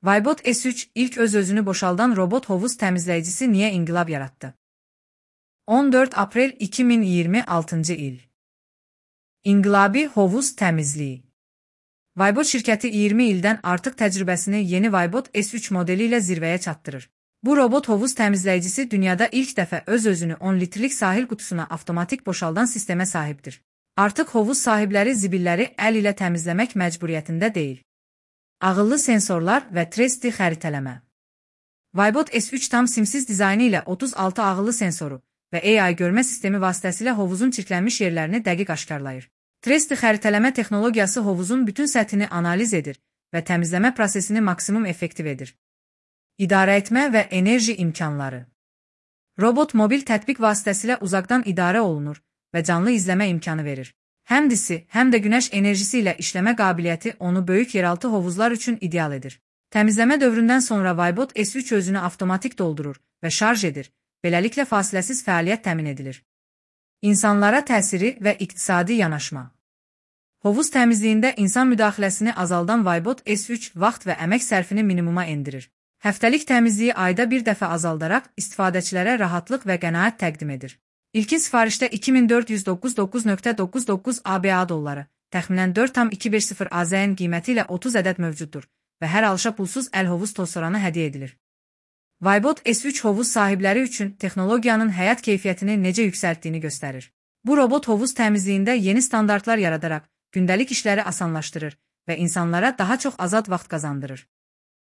Vaybot S3 ilk öz-özünü boşaldan robot hovuz təmizləyicisi niyə inqilab yaratdı? 14 aprel 2026 il. İnqilabi hovuz təmizliyi. Vaybot şirkəti 20 ildən artıq təcrübəsini yeni Vaybot S3 modeli ilə zirvəyə çatdırır. Bu robot hovuz təmizləyicisi dünyada ilk dəfə öz-özünü 10 litrlik sahil qutusuna avtomatik boşaldan sistemə sahibdir. Artıq hovuz sahibləri zibilləri əl ilə təmizləmək məcburiyyətində deyil. Ağıllı sensorlar və 3D xəritələmə. Vaybot S3 tam simsiz dizaynı ilə 36 ağıllı sensoru və AI görmə sistemi vasitəsilə hovuzun çirklənmiş yerlərini dəqiq aşkarlayır. 3D xəritələmə texnologiyası hovuzun bütün səthini analiz edir və təmizləmə prosesini maksimum effektiv edir. İdarə etmə və enerji imkanları. Robot mobil tətbiq vasitəsilə uzaqdan idarə olunur və canlı izləmə imkanı verir. Həm disi, həm də günəş enerjisi ilə işləmə qabiliyyəti onu böyük yeraltı hovuzlar üçün ideal edir. Təmizləmə dövründən sonra Vaybot S3 özünü avtomatik doldurur və şarj edir, beləliklə fasiləsiz fəaliyyət təmin edilir. İnsanlara təsiri və iqtisadi yanaşma. Hovuz təmizliyində insan müdaxiləsini azaldan Vaybot S3 vaxt və əmək sərfini minimuma endirir. Həftəlik təmizliyi ayda bir dəfə azaldaraq istifadəçilərə rahatlıq və qənaət təqdim edir. İlkin sifarişdə 2499.99 ABA dolları, təxminən 4,250 AZN qiyməti ilə 30 ədəd mövcuddur və hər alışa pulsuz əl hovuz tozsoranı hədiyyə edilir. Vaybot S3 hovuz sahibləri üçün texnologiyanın həyat keyfiyyətini necə yüksəltdiyini göstərir. Bu robot hovuz təmizliyində yeni standartlar yaradaraq gündəlik işləri asanlaşdırır və insanlara daha çox azad vaxt qazandırır.